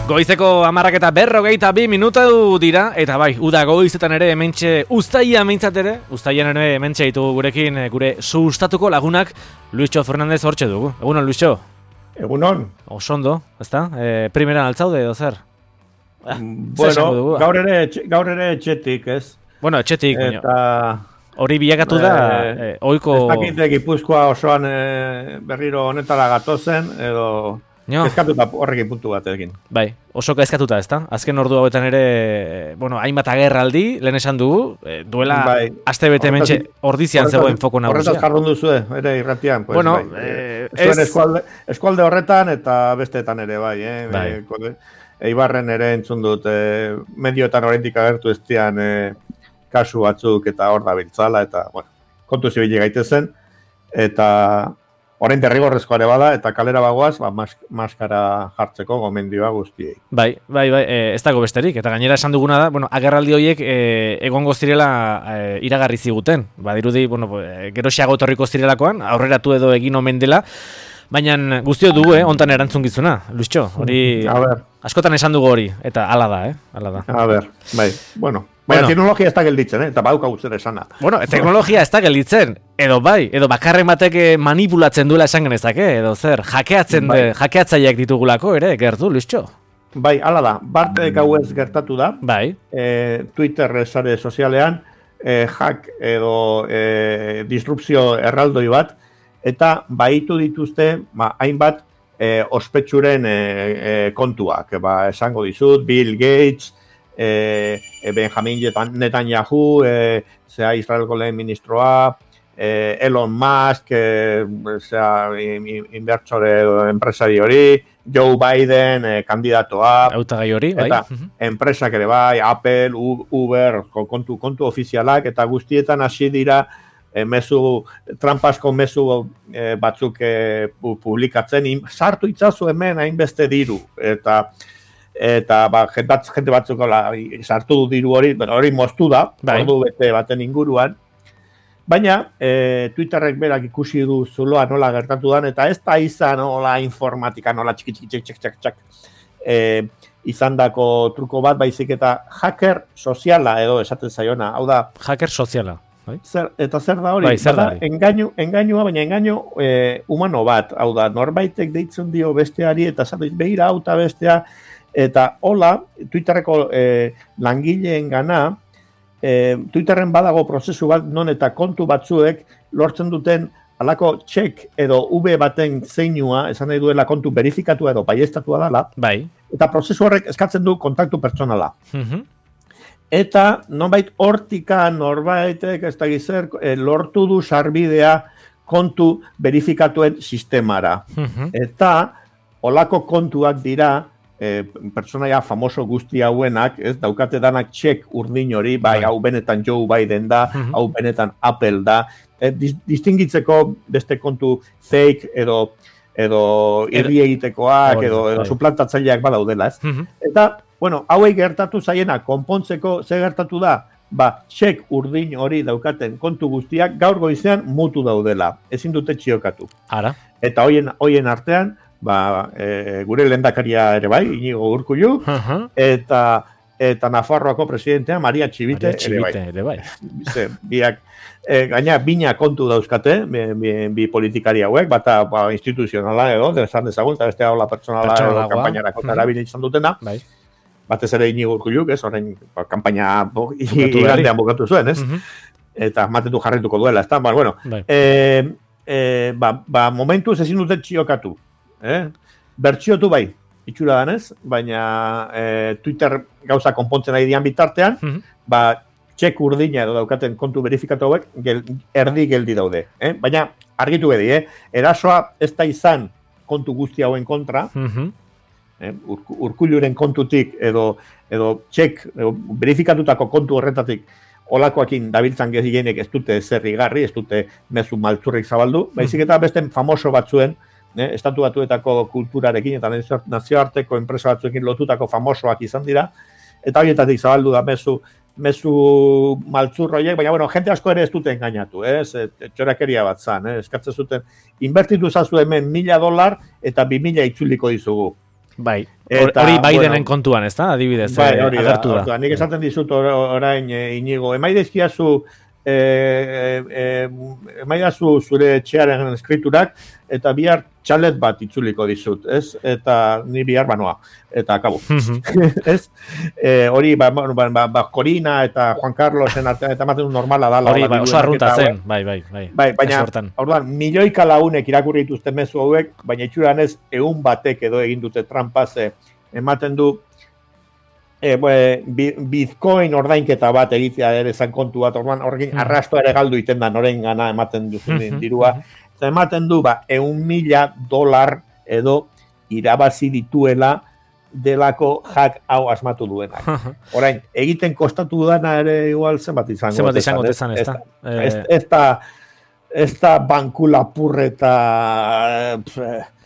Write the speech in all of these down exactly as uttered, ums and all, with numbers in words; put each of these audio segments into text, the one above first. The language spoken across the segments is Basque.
Goizeko hamarrak eta berrogeita bi minutu dira, eta bai, uda goizetan ere hementxe uztaia meintzat ere, uztaian ere hementxe ditugu gurekin gure sustatuko lagunak Luisxo Fernandez hortxe dugu. Egunon, Luisxo? Egunon. Osondo, ezta? E, primeran altzaude edo zer? Ah, bueno, gaur ere, gaur ere etxetik, ez? Bueno, etxetik, eta hori bilakatu da, e, oiko... Ez dakite Gipuzkoa osoan e, berriro honetara gatozen, edo... No. Eskatuta horrekin puntu bat egin. Bai, oso eskatuta, ezta? Azken ordu hauetan ere, bueno, hainbat agerraldi, lehen esan dugu, duela bai. Aste bete mentxe ordizian zegoen foko nagusia. Horretaz jardun duzu, ere irratian. Pues, bueno, bai. eh, ez... eskualde, eskualde horretan eta besteetan ere, bai. Eh? bai. E, Eibarren ere entzun dut, e, medioetan oraindik agertu ez dian e, kasu batzuk eta hor da biltzala, eta, bueno, kontu zibili gaitezen, eta... Orain derrigorrezkoa ere bada, eta kalera bagoaz, ba, mas, maskara jartzeko gomendioa guztiei. Bai, bai, bai, e, ez dago besterik. Eta gainera esan duguna da, bueno, agerraldi horiek e, egongo zirela e, iragarri ziguten. Ba, dirudi, bueno, e, geroxiago etorriko zirelakoan, aurreratu edo egin omen dela. Baina guztio dugu, eh, ontan erantzungizuna, Luisxo. Hori askotan esan dugu hori, eta hala da, eh? Hala da. A ber, bai, bueno. Baina bueno, teknologia ez da gelditzen, eh? Eta bauka guztera esana. Bueno, teknologia ez da gelditzen, edo bai, edo bakarren batek manipulatzen duela esan genezake, edo zer, jakeatzen bai. de, jakeatzaileak ditugulako ere, gertu, Luisxo? Bai, hala da, barte gauez gertatu da, bai. E, Twitter sare sozialean, e, hack edo e, disrupzio erraldoi bat, eta baitu dituzte, ba, hainbat e, ospetsuren e, e, kontuak, ba, esango dizut, Bill Gates, E, Benjamin Netanyahu, e, zera Israelko lehen ministroa, e, Elon Musk, e, zera inbertsore enpresari hori, Joe Biden, e, kandidatoa, hautagai hori, bai. Eta enpresak ere bai, Apple, Uber, kontu, kontu ofizialak, eta guztietan hasi dira e, mezu, trampasko mezu e, batzuk e, publikatzen, sartu itzazu hemen hainbeste diru, eta eta ba, jente batzuk sartu du diru hori, bueno, hori moztu da, bai. Ordu bete baten inguruan, baina e, Twitterrek berak ikusi du zuloa nola gertatu dan, eta ez da izan nola informatika, nola txiki txiki txik txik txik e, izan dako truko bat, baizik eta hacker soziala edo esaten zaiona, hau da... Hacker soziala. Bai? Zer, eta zer da hori? Bai, zer da hori? Engainu, engainua, baina engainu e, humano bat, hau da, norbaitek deitzen dio besteari, eta zatu behira auta bestea, eta hola, Twitterreko eh, langileen gana, eh, Twitterren badago prozesu bat, non eta kontu batzuek lortzen duten alako txek edo V baten zeinua, esan nahi duela kontu berifikatua edo baiestatua dela, bai. Eta prozesu horrek eskatzen du kontaktu pertsonala. Uh-huh. Eta nonbait hortika norbaitek ez da gizer, eh, lortu du sarbidea kontu verifikatuen sistemara. Uh-huh. Eta holako kontuak dira, E, pertsonaia famoso guzti hauenak, ez, daukate danak txek urdin hori, bai, hau benetan Joe Biden da, mm-hmm. hau benetan Apple da, e, distingitzeko beste kontu fake edo edo irri egitekoak, edo, edo suplantatzaileak badaudela, ez? Mm-hmm. Eta, bueno, hauei gertatu zaiena, konpontzeko ze gertatu da, ba, txek urdin hori daukaten kontu guztiak gaur goizean mutu daudela, ezin dute txiokatu. Ara. Eta hoien, hoien artean, ba, e, gure lehendakaria ere bai, Iñigo Urkullu, uh-huh. eta eta Nafarroako presidentea Maria Txibite, Maria Txibite ere bai. Ze, biak, e, gaina bina kontu dauzkate, bi, bi, bi politikari hauek, bata ba, instituzionala edo, desan dezagun, eta bestea hola pertsonala edo kampainarako uh-huh. erabili izan dutena, bai. Batez ere Iñigo Urkullu, ez, orain ba, kampaina igandean bukatu zuen, ez? Uh-huh. Eta matetu jarrituko duela, ez da, ba, bueno, bai. e, e, ba, ba, momentuz ezin duten txiokatu. Eh? Bertxiotu bai, itxura danez, baina eh, Twitter gauza konpontzen ari dian bitartean, mm-hmm. ba, txek urdina edo daukaten kontu verifikatu hauek gel, erdi geldi daude. Eh? Baina argitu bedi, eh? Erasoa ez da izan kontu guzti hauen kontra, mm-hmm. eh? Ur, Urkulluren kontutik edo, edo txek edo verifikatutako kontu horretatik olakoakin dabiltzan gehienek ez dute zerrigarri, ez dute mezu maltzurrik zabaldu, mm-hmm. baizik eta beste famoso batzuen, Ne, estatu batuetako kulturarekin eta nazioarteko enpresa batzuekin lotutako famosoak izan dira, eta horietatik zabaldu da mezu, mezu maltzurroiek, baina bueno, jente asko ere ez dute engainatu, ez, txorakeria bat zan, eh? Eskatzen zuten, inbertitu zazu hemen mila dolar eta bi mila itzuliko dizugu. Bai, hori Bidenen kontuan, ez da, adibidez, bai, hori agertu da. da. Nik esaten dizut orain, Inigo, emaidezkiazu E, e, emaidazu zure etxearen eskriturak eta bihar txalet bat itzuliko dizut, ez? Eta ni bihar banoa, eta akabo. Ez? E, hori, ba, ba, ba, ba, Corina eta Juan Carlosen artean, eta maten normala da. Hori, ba, oso arrunta zen, bai, bai, bai. Bai, baina, orduan, milioika lagunek irakurri dituzte mezu hauek, baina itxuran ez, egun batek edo egin dute trampaz, ematen du, E, bue, Bitcoin ordainketa bat egitea ere zan kontu bat, orduan horrekin arrastoa ere galdu iten da, noren gana ematen duzun dirua. Eta ematen du, ba, eun mila dolar edo irabazi dituela delako hack hau asmatu duenak. Orain, egiten kostatu dana ere igual zenbat izango. Zenbat izango dezan, ez da. Ez da, ez da banku lapurreta...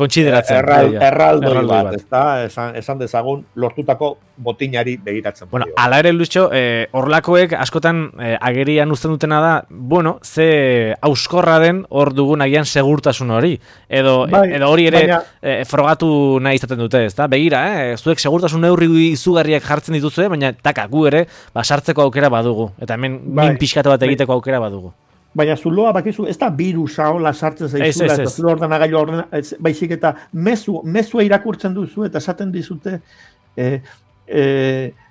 Kontsideratzen. Erral, erraldoi bat, bat. Ez da, esan, esan dezagun, lortutako botinari begiratzen. Bueno, ala ere, Luisio, horlakoek eh, askotan eh, agerian uzten dutena da, bueno, ze auskorra den hor dugun agian segurtasun hori. Edo, bai, edo hori ere baina, eh, frogatu nahi izaten dute, ez da? Begira, eh, zuek segurtasun neurri izugarriak jartzen dituzue, baina taka, gu ere, ba, sartzeko aukera badugu. Eta hemen bai, min pixkatu bat egiteko aukera badugu. Baina zuloa bakizu, ez da virusa hola sartzen zaizula, eta zulo ordenagailu ordena, baizik eta mezu, mezua irakurtzen duzu, eta esaten dizute, e, e,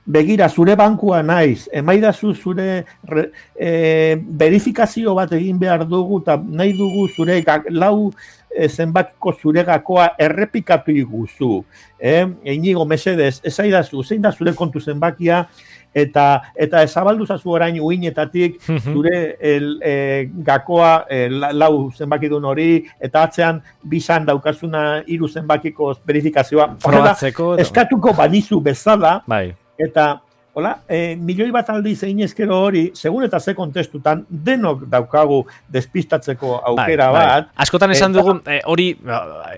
begira, zure bankua naiz, emaidazu zure re, e, verifikazio bat egin behar dugu, eta nahi dugu zure gak, lau e, zenbakiko zure gakoa errepikatu iguzu. E, Inigo, mesedez, ez aidazu, zein da zure kontu zenbakia, eta eta ezabaldu zazu orain uinetatik zure el, e, gakoa e, lau zenbakidun hori, eta atzean bisan daukazuna hiru zenbakiko verifikazioa. Probatzeko. Eskatuko badizu bezala, bai. Eta hola, e, milioi bat aldiz egin ezkero hori, segun eta ze kontestutan, denok daukagu despistatzeko aukera bai, bat. Bai. Askotan esan dugu, hori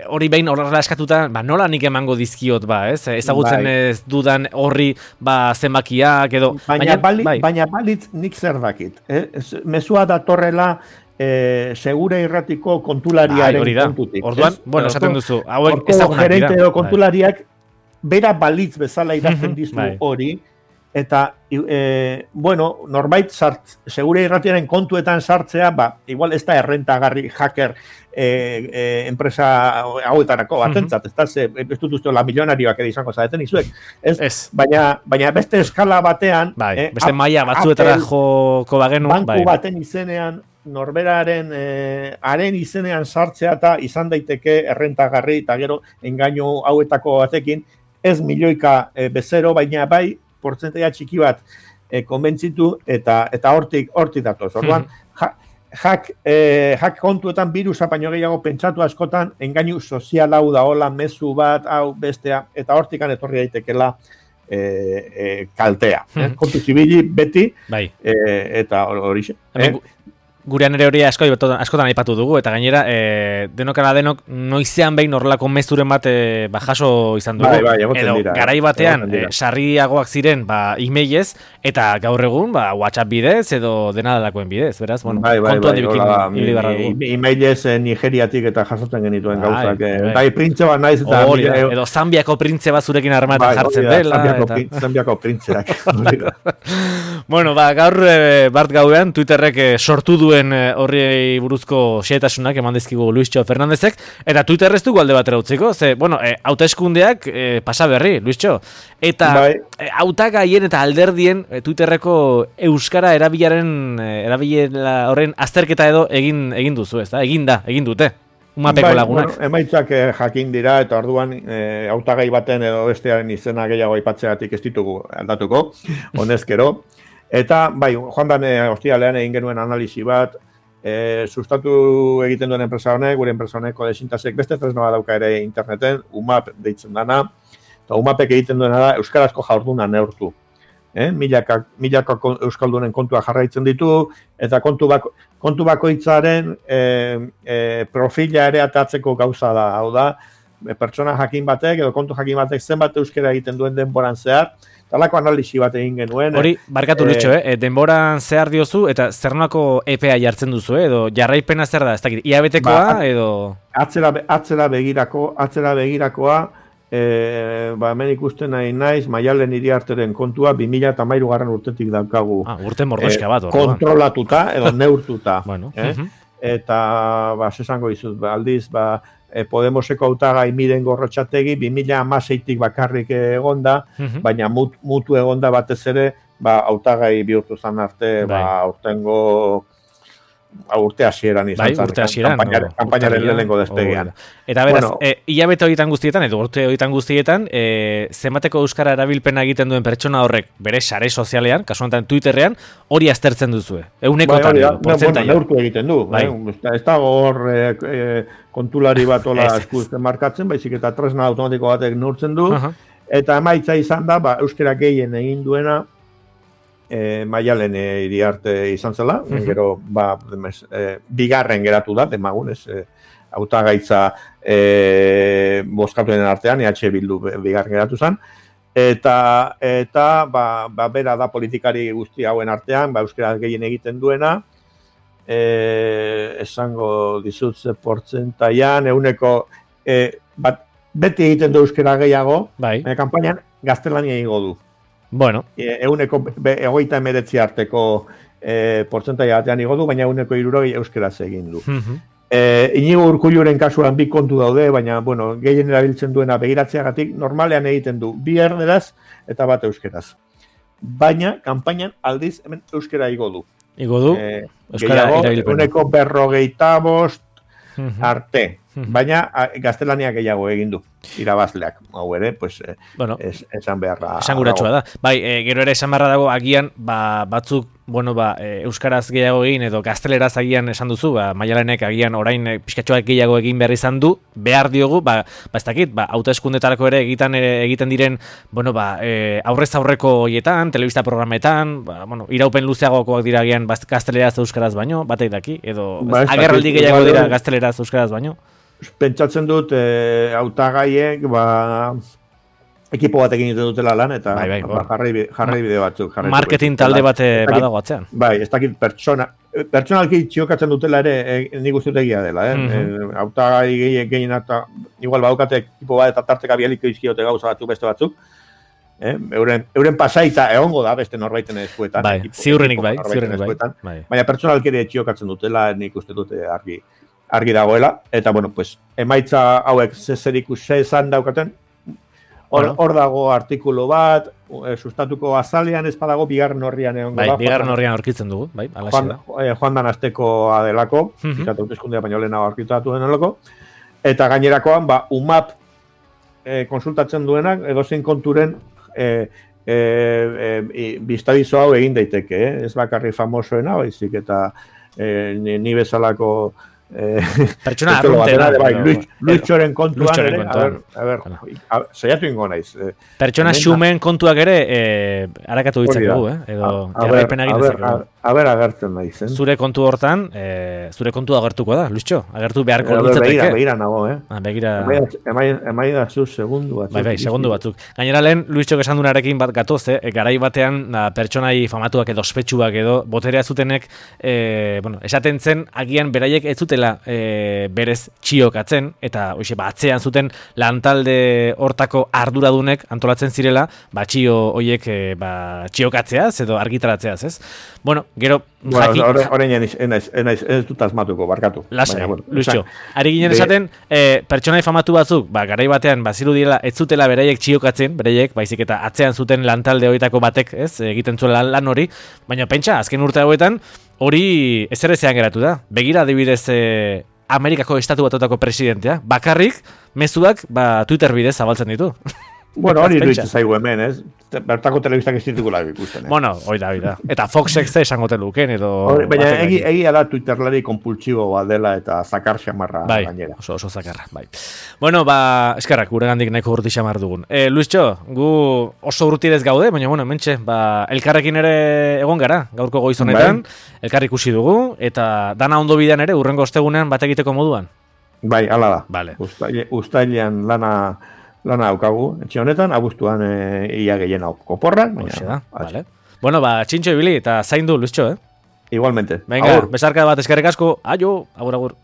hori behin horrela eskatuta, ba, nola nik emango dizkiot, ba, ez? Ezagutzen bai. Ez dudan horri ba, zenbakiak edo... Baina, baina, bali, bai. baina balitz nik zer dakit. Eh? Mezua datorrela eh, segure irratiko kontulariaren bai, kontutik. Orduan, ez? Bueno, esaten duzu, hauek ezagunak dira. Gerente edo kontulariak, bai. Bera balitz bezala idazten dizu bai. Hori, eta, e, bueno, norbait sart, segure irratiaren kontuetan sartzea, ba, igual ez da errentagarri hacker e, e, enpresa hauetarako batentzat, ez da, ze, ez dut uste la milionarioak edo izango zaeten izuek, ez? Ez. Baina, baina beste eskala batean, bai, eh, beste maila batzuetara joko bagenu, banku bai. Baten izenean, norberaren eh, haren izenean sartzea eta izan daiteke errentagarri eta gero engainu hauetako batekin, ez milioika e, bezero, baina bai, portzentaia txiki bat e, konbentzitu eta eta hortik hortik datoz. Orduan, ja, hack, e, hack kontuetan virusa baino gehiago pentsatu askotan, engainu sozial hau da hola, mezu bat, hau bestea, eta hortikan etorri daitekela e, e, kaltea. Hmm. Eh? Kontu zibili beti, bai. e, eta hori xe. Eh? Gurean ere hori asko, askotan aipatu dugu, eta gainera, e, denokara denok, noizean behin horrelako mezuren bat e, ba, jaso izan dugu. Bai, bai, edo, dira, garai batean, e, sarriagoak ziren, ba, emailez, eta gaur egun, ba, WhatsApp bidez, edo dena delakoen bidez, beraz, bueno, bai, bai, kontuan bai, dibikin hili barra dugu. Emailez e, Nigeriatik eta jasotzen genituen bai, gauzak. Bai, bai. Bai, printze bat naiz, eta... Hori, e, edo Zambiako printze bat zurekin armatan bai, jartzen da, dela. Zambiako, eta... prin, Zambiako printzeak. Bueno, ba, gaur, e, Bart gauean, Twitterrek e, sortu duen horri buruzko xehetasunak eman dizkigu Luisio Fernandezek, eta Twitter ez dugu alde batera utziko, ze, bueno, e, hauteskundeak e, pasa berri, Luisio, eta bai. e, hautagaien eta alderdien e, Twitterreko euskara erabilaren e, erabilera horren azterketa edo egin egin duzu, ez da? Egin da, egin dute. Umapeko bai, lagunak. Bueno, emaitzak eh, jakin dira, eta orduan eh, hautagai baten edo bestearen izena gehiago aipatzeatik ez ditugu aldatuko, honezkero. Eta, bai, joan dan, eh, ostialean egin genuen analisi bat, E, sustatu egiten duen enpresa honek, gure enpresa honeko desintasek beste tresnoa dauka ere interneten, U M A P deitzen dana, eta U M A Pek egiten duena da euskarazko jarduna neurtu. Eh? Milaka, milaka euskaldunen kontua jarraitzen ditu, eta kontu, bako, kontu bakoitzaren e, e, profila ere atatzeko gauza da. Hau da, pertsona jakin batek, edo kontu jakin batek zenbat euskera egiten duen denboran zehar, talako analisi bat egin genuen. Hori, barkatu Lucho, eh? eh? denboran zehar diozu, eta zer nolako E P A jartzen duzu, eh? edo jarraipena zer da, ez dakit, iabetekoa, ba, edo... Atzera, atzera begirako, atzera begirakoa, E, ba, hemen ikusten nahi naiz, Maialen Iriarteren kontua bi mila hamairu garren urtetik daukagu. Ah, urte mordoska bat. E, kontrolatuta, edo neurtuta. Bueno. Eh? Uh-huh. Eta, ba, sesango izut, ba, aldiz, ba, e, Podemoseko hautagai Miren Gorrotxategi, bi mila hamaseitik bakarrik egonda, uh-huh. baina mut, mutu egonda batez ere, ba, hautagai bihurtu zan arte, bai. ba, urtengo urte hasieran izan bai, urte hasieran, kanpainaren lehenengo despegean. Eta beraz, bueno, e, hilabete horietan guztietan, edo urte horietan guztietan, e, zenbateko euskara erabilpena egiten duen pertsona horrek bere sare sozialean, kasu honetan Twitterrean, hori aztertzen duzue. Eunekotan edo, portzentaia. Bueno, neurtu egiten du. Bai. Eh? Ez dago hor e, e, kontulari bat ola eskuzten markatzen, baizik eta tresna automatiko batek neurtzen du, uh-huh. eta emaitza izan da, ba, euskara gehien egin duena, E, Maialen e, Iriarte izan zela, uh-huh. gero ba, demez, e, bigarren geratu da, demagunez, e, hautagaitza e, bozkatuen artean, E H Bildu bigarren geratu zen, eta, eta ba, ba, bera da politikari guzti hauen artean, ba, euskara gehien egiten duena, e, esango dizutze portzentaian, euneko, e, bat, beti egiten du euskara gehiago, bai. e, kanpainan gaztelania egingo du. Bueno. E, euneko egoita emeretzi arteko e, portzentaia batean igo du, baina euneko irurogei euskeraz egin du. Uh-huh. e, Inigo Urkulluren kasuan bi kontu daude, baina bueno, gehien erabiltzen duena begiratzeagatik normalean egiten du bi erderaz eta bat euskeraz. Baina, kanpainan aldiz hemen euskera igo du. Igo du, e, euskara erabilpena. Euneko berrogeita bost uh-huh. arte. Baina gaztelania gehiago egin du irabazleak, hau ere, pues, bueno, es, esan beharra. Esan guratxoa da. Bai, e, gero ere esan beharra dago, agian, ba, batzuk, bueno, ba, e, euskaraz gehiago egin, edo gazteleraz agian esan duzu, ba, Maialenek agian orain e, pixkatxoak gehiago egin behar izan du, behar diogu, ba, ba ez dakit, ba, hauteskundetarako ere egiten, ere, egiten diren, bueno, ba, e, aurrez aurreko hoietan, telebista programetan, ba, bueno, iraupen luzeagokoak dira agian gazteleraz euskaraz baino, batek daki, edo ba, agerraldi gehiago dira gazteleraz euskaraz baino. Pentsatzen dut, e, hautagaiek, ba, ekipo batekin egiten dutela lan, eta bai, bai, ba, jarri, jarri bide batzuk. Marketing talde bate badago atzean. Bai, ez dakit pertsona, pertsonalki txiokatzen dutela ere, e, nik uste egia dela, eh? Mm-hmm. E, hautagai gehien gehien eta, igual baukate ekipo bat eta tarteka bialiko izkiote gauza batzuk, beste batzuk, eh? euren, euren pasaitza egongo da beste norbaiten eskuetan. Bai, ekipo, ziurrenik bai, ziurrenik bai. bai. Baina pertsonalki ere txiokatzen dutela, nik uste dute argi. argi dagoela, eta, bueno, pues, emaitza hauek zezeriku zezan daukaten, hor bueno. dago artikulu bat, e, sustatuko azalean ez badago, bigarren horrian egon bai, bigarren horrian aurkitzen dugu, bai, alaxe Juan, da. E, Joan dan azteko adelako, uh-huh. izate hauteskundea baino lehenago aurkitatu denelako, eta gainerakoan, ba, U M A P e, konsultatzen duenak, edozein konturen e, e, e, biztadizo hau egin daiteke, eh? Ez bakarri famosoena, baizik, eta e, ni, ni bezalako Eh, pertsona arruntera bai, Luitxoren kontuan ere, a ver, a ver, saiatu ingo naiz. Eh, pertsona xumen kontuak ere eh, harakatu ditzakegu, eh? Edo jarraipena egin ditzakegu. A ber, agertzen naiz, eh? Zure kontu hortan, eh, zure kontu agertuko da, Luitxo? Agertu beharko litzateke. Begira, begira nago, eh? Ah, begira... Emai da zu segundu batzuk. Bai, bai, segundu batzuk. Gainera lehen, Luitxok esan dunarekin bat gatoz, eh? Garai batean, da, pertsonai famatuak edo ospetsuak edo, boterea zutenek, eh, bueno, esaten zen, agian beraiek ez zutela e, berez txiokatzen, eta hoxe, ba, atzean zuten lantalde hortako arduradunek antolatzen zirela, ba, txio hoiek e, ba, txiokatzeaz edo argitaratzeaz, ez? Bueno, gero... Bueno, horrein ez dut asmatuko, barkatu. Lasai, bueno, Luizio. Ari ginen esaten, e, pertsonai famatu batzuk, ba, garai batean, baziru direla, ez zutela beraiek txiokatzen, beraiek, baizik eta atzean zuten lantalde horietako batek, ez, egiten zuen lan hori, baina pentsa, azken urte hauetan, hori ezer ezean geratu da. Begira adibidez eh, Amerikako estatu batutako presidentea, bakarrik mezuak ba, Twitter bidez zabaltzen ditu. Bueno, hori iruditzen zaigu hemen, ez? Bertako telebistak ez ditugu lagu ikusten, eh? Bueno, hori da, hori da. Eta Foxek ze esangote luken, edo... Hori, baina egi, egia da Twitterlari konpultsibo bat dela eta zakar xamarra bai, gainera. Oso, oso zakarra, bai. Bueno, ba, eskerrak, gure gandik nahiko urti xamar dugun. E, Luiztxo, gu oso urtirez gaude, baina, bueno, mentxe, ba, elkarrekin ere egon gara, gaurko goiz honetan, bai. Elkar ikusi dugu, eta dana ondo bidean ere, urrengo ostegunean bat egiteko moduan. Bai, hala da. Vale. Uztailean lana... Lana daukagu, etxe honetan, abuztuan e, ia gehien oporrak. Baina, vale. Bueno, ba, txintxo ibili eta zaindu, Luiztxo, eh? Igualmente. Venga, besarka bat eskerrik asko. Aio, agur, agur.